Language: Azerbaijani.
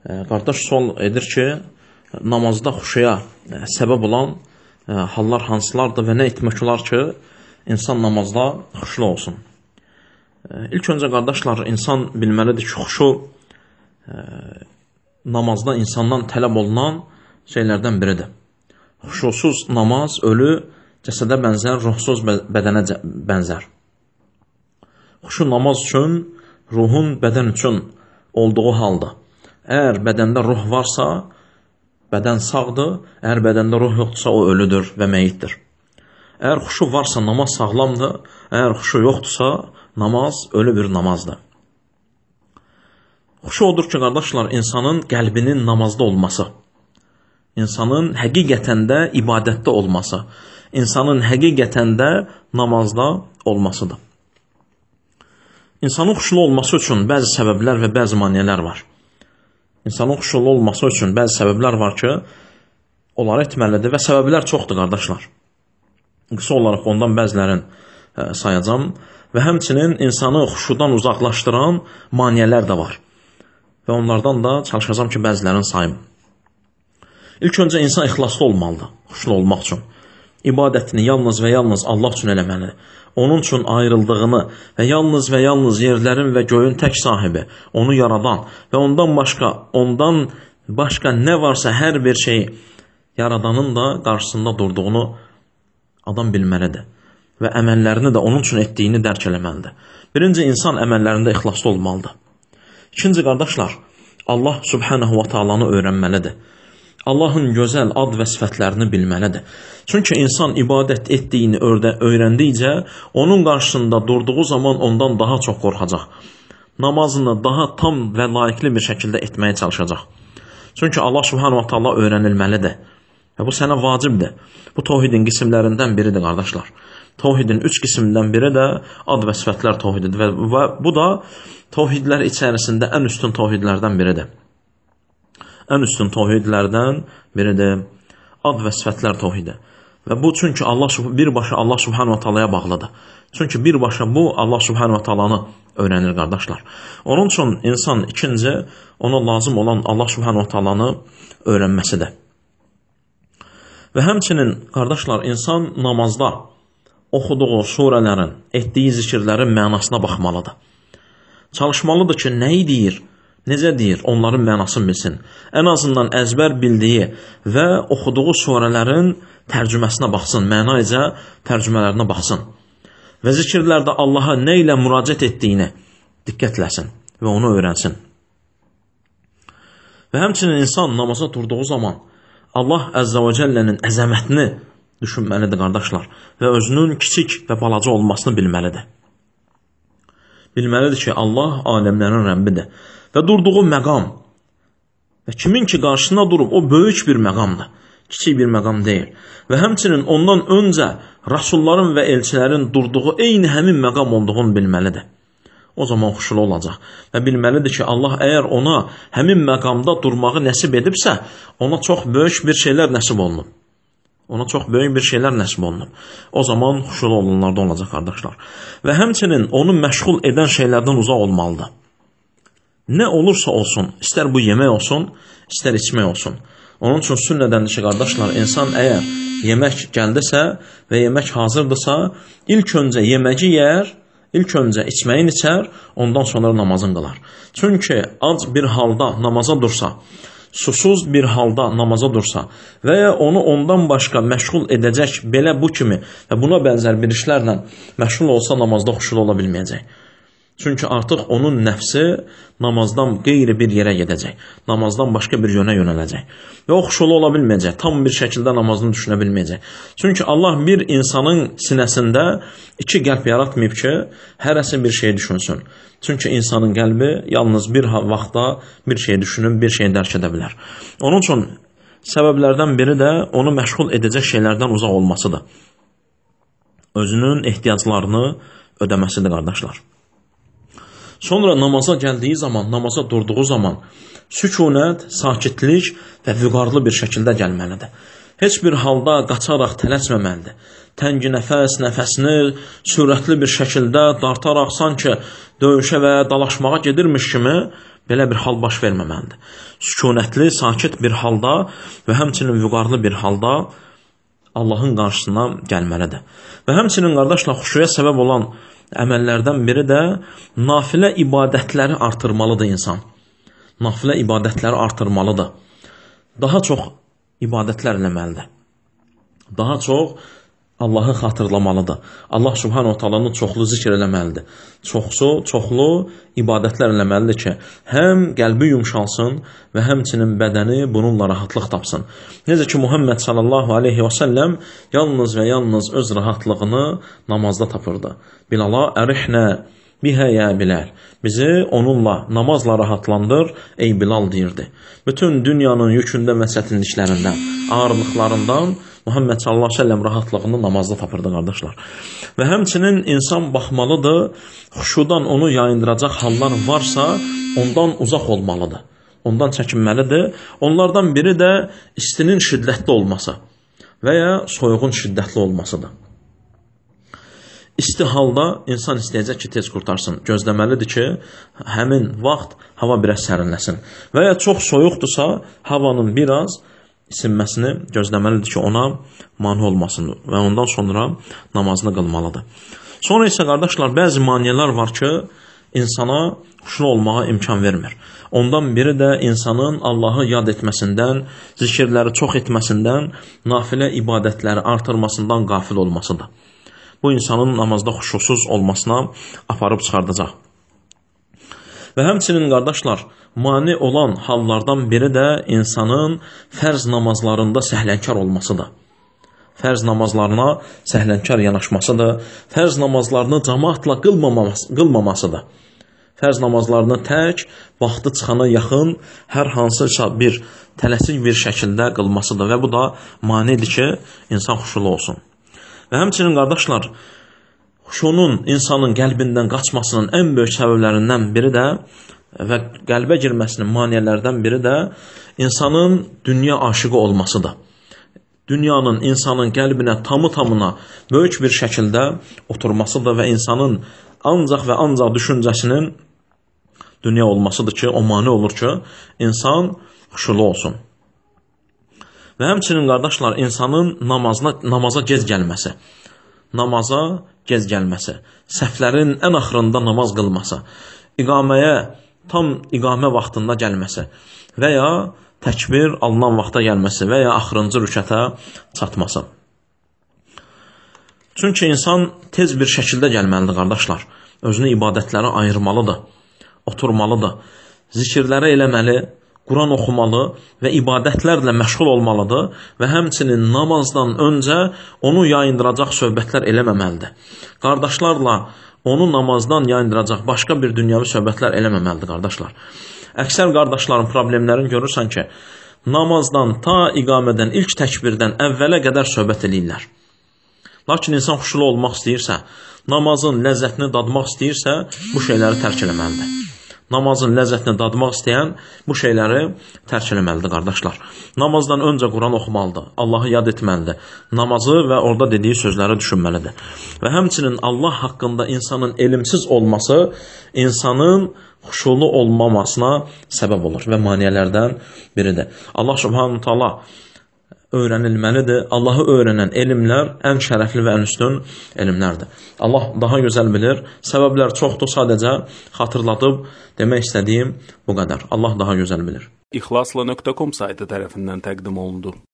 Qardaş sual edir ki, namazda xuşuya səbəb olan hallar hansılardır və nə etmək olar ki, insan namazda xuşlu olsun? İlk öncə qardaşlar, insan bilməlidir ki, xuşu namazda insandan tələb olunan şeylərdən biridir. Xuşusuz namaz ölü cəsədə bənzər, ruhsuz bədənə bənzər. Xuşu namaz üçün, ruhun bədən üçün olduğu halda. Əgər bədəndə ruh varsa, bədən sağdır, əgər bədəndə ruh yoxdursa, o ölüdür və meyitdir. Əgər xuşu varsa, namaz sağlamdır, əgər xuşu yoxdursa, namaz ölü bir namazdır. Xuşu odur ki, qardaşlar, insanın qəlbinin namazda olması, insanın həqiqətən də ibadətdə olması, insanın həqiqətən də namazda olmasıdır. İnsanın xuşulu olması üçün bəzi səbəblər və bəzi maneələr var. İnsanın xuşulu olması üçün bəzi səbəblər var ki, onları etməlidir və səbəblər çoxdur, qardaşlar. Qısa olaraq ondan bəzilərini sayacağım və həmçinin insanı xuşudan uzaqlaşdıran maneələr də var. Və onlardan da çalışacağım ki, bəzilərini sayım. İlk öncə insan ixlaslı olmalıdır, xuşulu olmaq üçün. İbadətini yalnız və yalnız Allah üçün eləməlidir. Onun üçün ayrıldığını və yalnız yerlərin və göyün tək sahibi, onu yaradan və ondan başqa nə varsa hər bir şey yaradanın da qarşısında durduğunu adam bilməlidir. Və əməllərini də onun üçün etdiyini dərk eləməlidir. Birinci, insan əməllərində ixlaslı olmalıdır. İkinci, qardaşlar, Allah Subhanahu wa ta'alanı öyrənməlidir. Allahın gözəl ad və sifətlərini bilməlidir. Çünki insan ibadət etdiyini öyrəndikcə, onun qarşısında durduğu zaman ondan daha çox qorxacaq. Namazını daha tam və layiqli bir şəkildə etməyə çalışacaq. Çünki Allah Subhanahu wa ta'ala öyrənilməlidir. Və bu sənə vacibdir. Bu tövhidin qismlərindən biridir, qardaşlar. Tövhidin 3 qismindən biri də ad və sifətlər tövhididir. Və bu da tövhidlər içərisində ən üstün tövhidlərdən biridir. Ən üstün tövhidlərdən biridir ad və sifətlər tövhidi. Və bu çünki birbaşa Allah Subhanahu wa ta'alaya bağlıdır. Çünki birbaşa bu Allah Subhanahu wa ta'alanı öyrənir, qardaşlar. Onun üçün insan ikinci, ona lazım olan Allah Subhanahu wa ta'alanı öyrənməsidir. Və həmçinin, qardaşlar, insan namazda oxuduğu surələrin, etdiyi zikirlərin mənasına baxmalıdır. Çalışmalıdır ki, nəyi deyir, necə deyir, onların mənasını bilsin. Ən azından əzbər bildiyi və oxuduğu surələrin tərcüməsinə baxsın, mənayca tərcümələrinə baxsın. Və zikirlərdə Allaha nə ilə müraciət etdiyini diqqətləsin və onu öyrənsin. Və həmçinin insan namaza durduğu zaman Allah Əzzə və Cəllənin əzəmətini düşünməlidir, qardaşlar, və özünün kiçik və balaca olmasını bilməlidir. Bilməlidir ki, Allah aləmlərin Rəbbidir. Və durduğu məqam və kimin ki qarşısına durub, o böyük bir məqamdır, kiçik bir məqam deyil. Və həmçinin ondan öncə Rasulların və elçilərin durduğu eyni həmin məqam olduğunu bilməlidir. O zaman xuşulu olacaq və bilməlidir ki, Allah əgər ona həmin məqamda durmağı nəsib edibsə, ona çox böyük bir şeylər nəsib olunub. Ona çox böyük bir şeylər nəsib olunub. O zaman xuşulu olanlarda olacaq, qardaşlar. Və həmçinin onu məşğul edən şeylərdən uzaq olmalıdır. Nə olursa olsun, istər bu yemək olsun, istər içmək olsun. Onun üçün sünnədəndir ki, qardaşlar, insan əgər yemək gəldisə və yemək hazırdırsa, ilk öncə yeməyi yer, ilk öncə içməyin içər, ondan sonra namazın qılar. Çünki ac bir halda namaza dursa, susuz bir halda namaza dursa və ya onu ondan başqa məşğul edəcək belə bu kimi və buna bənzər bir işlərlə məşğul olsa, namazda xuşulu ola bilməyəcək. Çünki artıq onun nəfsi namazdan qeyri bir yerə gedəcək. Namazdan başqa bir yönə yönələcək. Və o xuşulu ola bilməyəcək. Tam bir şəkildə namazını düşünə bilməyəcək. Çünki Allah bir insanın sinəsində iki qəlb yaratmayıb ki, hərəsi bir şey düşünsün. Çünki insanın qəlbi yalnız bir vaxtda bir şey düşünüb, bir şey dərk edə bilər. Onun üçün səbəblərdən biri də onu məşğul edəcək şeylərdən uzaq olmasıdır. Özünün ehtiyaclarını ödəməsidir, qardaşlar. Sonra namaza gəldiyi zaman, namaza durduğu zaman sükunət, sakitlik və vüqarlı bir şəkildə gəlməlidir. Heç bir halda qaçaraq tələsməməlidir. Təngi nəfəsini sürətli bir şəkildə dartaraq sanki döyüşə və dalaşmağa gedirmiş kimi Belə bir hal baş verməməlidir. Sükunətli, sakit bir halda və həmçinin vüqarlı bir halda Allahın qarşısına gəlməlidir. Və həmçinin qardaşlar, xuşuya səbəb olan əməllərdən biri də nafilə ibadətləri artırmalıdır insan. Nafilə ibadətləri artırmalıdır. Daha çox ibadətlər eləməlidir. Daha çox Allahı xatırlamalıdır. Allah subhanahu wa ta'alanı çoxlu zikr eləməlidir. Çoxlu ibadətlər eləməlidir ki, həm qəlbi yumşalsın və həmçinin bədəni bununla rahatlıq tapsın. Necə ki, Muhammed sallallahu aleyhi və səlləm yalnız və yalnız öz rahatlığını namazda tapırdı. Bilala ərihnə bihə ya Bilal. Bizi onunla, namazla rahatlandır, ey Bilal deyirdi. Bütün dünyanın yükündə və çətinliklərindən, ağırlıqlarından Muhammed sallallahu aleyhi ve sellem rahatlığını namazda tapırdı qardaşlar. Və həmçinin insan baxmalıdır, xuşudan onu yayındıracaq hallar varsa, ondan uzaq olmalıdır. Ondan çəkinməlidir. Onlardan biri də istinin şiddətli olması və ya soyuğun şiddətli olmasıdır. İsti halda insan istəyəcək ki, tez qurtarsın. Gözləməlidir ki, həmin vaxt hava biraz sərinləsin. Və ya çox soyuqdursa, havanın biraz isinməsini gözləməlidir ki, ona mane olmasın və ondan sonra namazını qılmalıdır. Sonra isə qardaşlar, bəzi maniyələr var ki, insana xuşulu olmağa imkan vermir. Ondan biri də insanın Allahı yad etməsindən, zikirləri çox etməsindən, nafilə ibadətləri artırmasından qafil olmasıdır. Bu insanın namazda xuşusuz olmasına aparıb çıxardacaq. Və həmçinin qardaşlar, mane olan hallardan biri də insanın fərz namazlarında səhlənkar olmasıdır. Fərz namazlarına səhlənkar yanaşmasıdır. Fərz namazlarını cəmaatla qılmamasıdır. Fərz namazlarını tək, vaxtı çıxana yaxın, hər hansısa bir tələsik bir şəkildə qılmasıdır. Və bu da manedir ki, insan xuşulu olsun. Və həmçinin qardaşlar, xuşunun insanın qəlbindən qaçmasının ən böyük səbəblərindən biri də və qəlbə girməsinin maniyələrdən biri də insanın dünya aşıqı olmasıdır. Dünyanın insanın qəlbinə tamı-tamına böyük bir şəkildə oturmasıdır və insanın ancaq və ancaq düşüncəsinin dünya olmasıdır ki, o mane olur ki, insan xuşulu olsun. Və həmçinin qardaşlar, insanın namaza gec gəlməsi, səhvlərin ən axırında namaz qılması, iqaməyə tam iqamə vaxtında gəlməsi və ya təkbir alınan vaxta gəlməsi və ya axırıncı rükətə çatması. Çünki insan tez bir şəkildə gəlməlidir qardaşlar. Özünü ibadətlərə ayırmalıdır, oturmalıdır, zikirləri eləməli, Quran oxumalı və ibadətlərlə məşğul olmalıdır və həmçinin namazdan öncə onu yayındıracaq söhbətlər eləməməlidir. Qardaşlarla onu namazdan yayındıracaq başqa bir dünyavi söhbətlər eləməməlidir qardaşlar. Əksər qardaşların problemlərini görürsən ki, namazdan ta iqamədən, ilk təkbirdən əvvələ qədər söhbət eləyirlər. Lakin insan xuşulu olmaq istəyirsə, namazın ləzzətini dadmaq istəyirsə, bu şeyləri tərk eləməlidir. Namazın ləzzətini dadmaq istəyən bu şeyləri tərk eləməlidir qardaşlar. Namazdan öncə Quran oxumalıdır, Allahı yad etməlidir, namazı və orada dediyi sözləri düşünməlidir. Və həmçinin Allah haqqında insanın elmsiz olması insanın xuşulu olmamasına səbəb olur və maniyələrdən biridir. Allah subhanahu ta'ala öyrənilməlidir. Allahı öyrənən elmlər ən şərəfli və ən üstün elmlərdir. Allah daha gözəl bilir. Səbəblər çoxdur, sadəcə xatırladıb demək istədiyim bu qədər. Allah daha gözəl bilir. İxlasla.com saytı tərəfindən təqdim olundu.